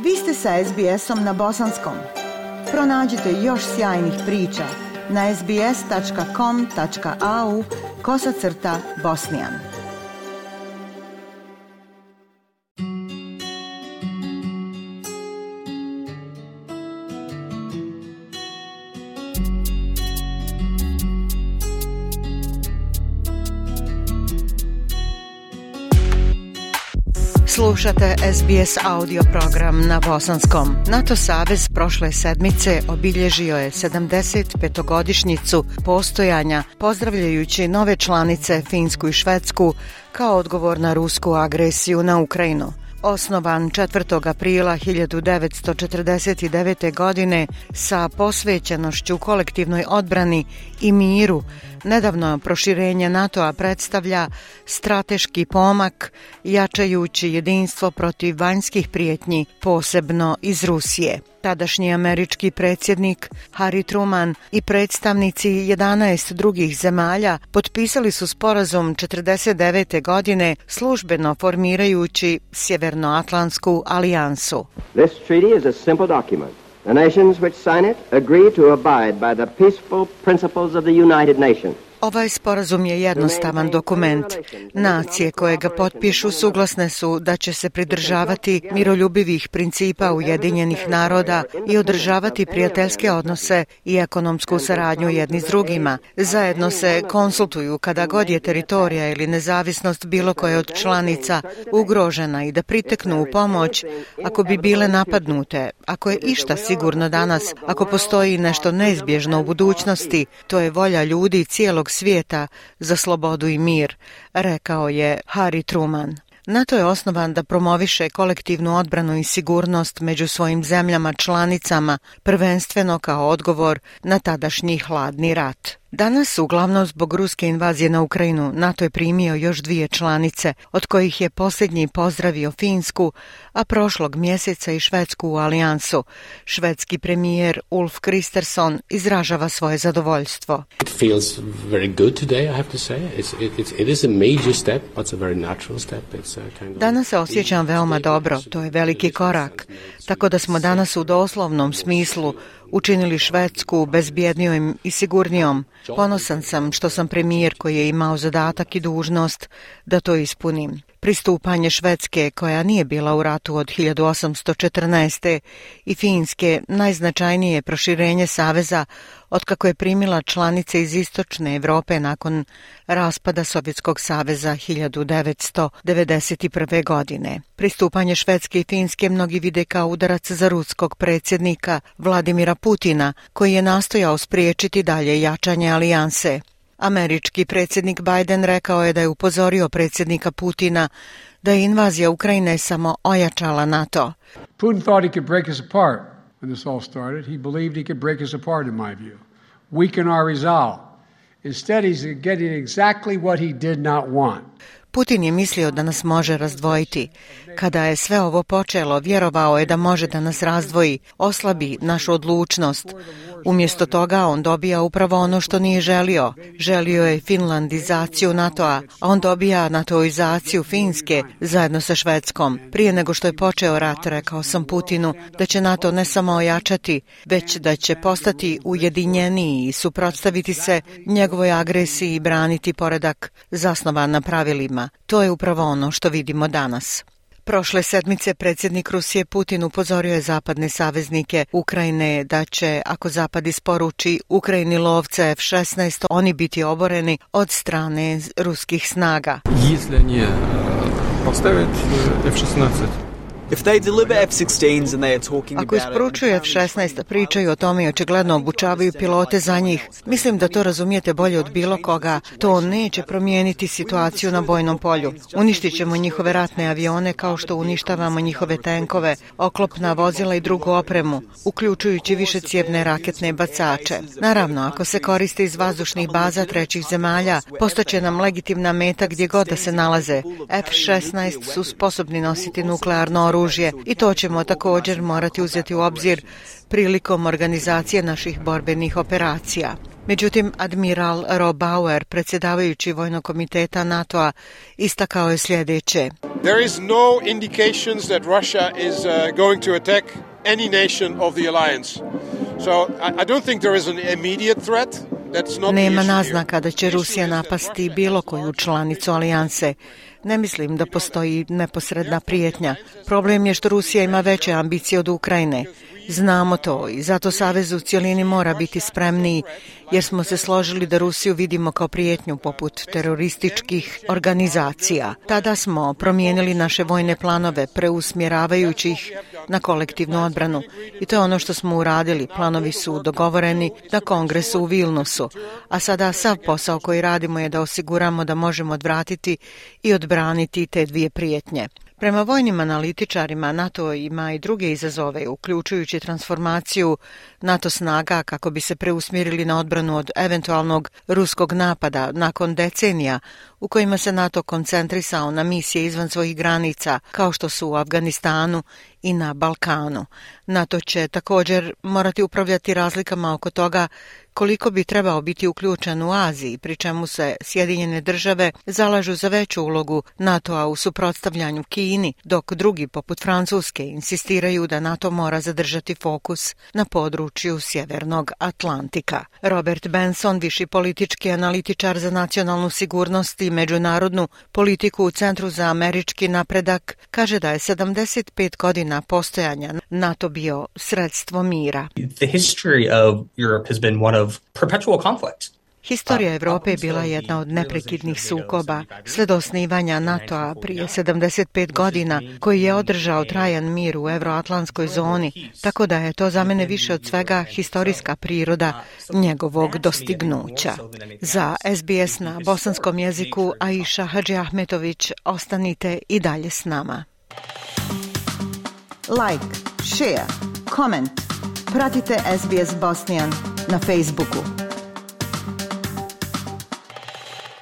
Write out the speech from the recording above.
Vi ste sa SBS-om na bosanskom. Pronađite još sjajnih priča na sbs.com.au/bosnian. Slušate SBS audio program na bosanskom. NATO savez prošle sedmice obilježio je 75-godišnjicu postojanja, pozdravljajući nove članice Finsku i Švedsku kao odgovor na rusku agresiju na Ukrajinu. Osnovan 4. aprila 1949. godine sa posvećenošću kolektivnoj odbrani i miru, nedavno proširenje NATO-a predstavlja strateški pomak, jačajući jedinstvo protiv vanjskih prijetnji, posebno iz Rusije. Tadašnji američki predsjednik Harry Truman i predstavnici 11 drugih zemalja potpisali su sporazum 1949. godine, službeno formirajući Sjevernoatlantsku alijansu. This treaty is a simple document. The nations which sign it agree to abide by the peaceful principles of the United Nations. Ovaj sporazum je jednostavan dokument. Nacije koje ga potpišu suglasne su da će se pridržavati miroljubivih principa Ujedinjenih naroda i održavati prijateljske odnose i ekonomsku saradnju jedni s drugima. Zajedno se konsultuju kada god je teritorija ili nezavisnost bilo koje od članica ugrožena i da priteknu u pomoć ako bi bile napadnute. Ako je išta sigurno danas, ako postoji nešto neizbježno u budućnosti, to je volja ljudi cijelog svijeta za slobodu i mir, rekao je Harry Truman. NATO je osnovan da promoviše kolektivnu odbranu i sigurnost među svojim zemljama članicama, prvenstveno kao odgovor na tadašnji hladni rat. Danas, uglavnom zbog ruske invazije na Ukrajinu, NATO je primio još 2 članice, od kojih je posljednji pozdravio Finsku, a prošlog mjeseca i Švedsku u alijansu. Švedski premijer Ulf Kristersson izražava svoje zadovoljstvo. It feels very good today, I have to say. It is a major step, but it's a very natural step. Danas se osjećam veoma dobro, to je veliki korak. Tako da smo danas u doslovnom smislu učinili Švedsku bezbjednijom i sigurnijom. Ponosan sam što sam premijer koji je imao zadatak i dužnost da to ispunim. Pristupanje Švedske, koja nije bila u ratu od 1814. i Finske, najznačajnije proširenje saveza otkako je primila članice iz istočne Europe nakon raspada Sovjetskog saveza 1991. godine. Pristupanje Švedske i Finske mnogi vide kao udarac za ruskog predsjednika Vladimira Putina, koji je nastojao spriječiti dalje jačanje alijanse. Američki predsjednik Biden rekao je da je upozorio predsjednika Putina da je invazija Ukrajine samo ojačala NATO. Putin thought he could break us apart when this all started. He believed he could break us apart, in my view. Weaken our resolve. Instead, he's getting exactly what he did not want. Putin je mislio da nas može razdvojiti. Kada je sve ovo počelo, vjerovao je da može da nas razdvoji, oslabi našu odlučnost. Umjesto toga on dobija upravo ono što nije želio. Želio je finlandizaciju NATO-a, a on dobija natoizaciju Finske zajedno sa Švedskom. Prije nego što je počeo rat, rekao sam Putinu da će NATO ne samo ojačati, već da će postati ujedinjeniji i suprotstaviti se njegovoj agresiji i braniti poredak zasnovan na pravilima. To je upravo ono što vidimo danas. Prošle sedmice predsjednik Rusije Putin upozorio je zapadne saveznike Ukrajine da će, ako Zapad isporuči Ukrajini lovce F-16, oni biti oboreni od strane ruskih snaga. Если они поставят F-16. Ako isporučuju F-16, pričaju o tome i očigledno obučavaju pilote za njih. Mislim da to razumijete bolje od bilo koga. To neće promijeniti situaciju na bojnom polju. Uništit ćemo njihove ratne avione kao što uništavamo njihove tenkove, oklopna vozila i drugu opremu, uključujući višecijevne raketne bacače. Naravno, ako se koriste iz vazdušnih baza trećih zemalja, postaće nam legitimna meta gdje god da se nalaze. F-16 su sposobni nositi nuklearno oružje oružje i to ćemo također morati uzeti u obzir prilikom organizacije naših borbenih operacija. Međutim, admiral Rob Bauer, predsjedavajući Vojnog komiteta NATO-a, istakao je sljedeće. There is no indications that Russia is going to attack any nation of the alliance. So I don't think there is an immediate threat. Nema naznaka da će Rusija napasti bilo koju članicu alijanse. Ne mislim da postoji neposredna prijetnja. Problem je što Rusija ima veće ambicije od Ukrajine. Znamo to i zato Savez u cjelini mora biti spremniji, jer smo se složili da Rusiju vidimo kao prijetnju poput terorističkih organizacija. Tada smo promijenili naše vojne planove, preusmjeravajući ih na kolektivnu odbranu. I to je ono što smo uradili. Planovi su dogovoreni na kongresu u Vilnusu. A sada sav posao koji radimo je da osiguramo da možemo odvratiti i odbraniti te dvije prijetnje. Prema vojnim analitičarima, NATO ima i druge izazove, uključujući transformaciju NATO snaga kako bi se preusmjerili na odbranu od eventualnog ruskog napada nakon decenija u kojima se NATO koncentrisao na misije izvan svojih granica, kao što su u Afganistanu i na Balkanu. NATO će također morati upravljati razlikama oko toga koliko bi trebao biti uključen u Aziji, pri čemu se Sjedinjene države zalažu za veću ulogu NATO-a u suprotstavljanju Kini, dok drugi, poput Francuske, insistiraju da NATO mora zadržati fokus na području Sjevernog Atlantika. Robert Benson, viši politički analitičar za nacionalnu sigurnost i međunarodnu politiku u Centru za američki napredak, kaže da je 75 godina postojanja NATO bio sredstvo mira. The history of Europe has been one of perpetual conflict. Historija Evrope je bila jedna od neprekidnih sukoba sve do osnivanja NATO-a prije 75 godina, koji je održao trajan mir u euroatlantskoj zoni, tako da je to za mene više od svega historijska priroda njegovog dostignuća. Za SBS na bosanskom jeziku Aisha Hadži Ahmetović, ostanite i dalje s nama. Like, share, comment. Pratite SBS Bosnian na Facebooku.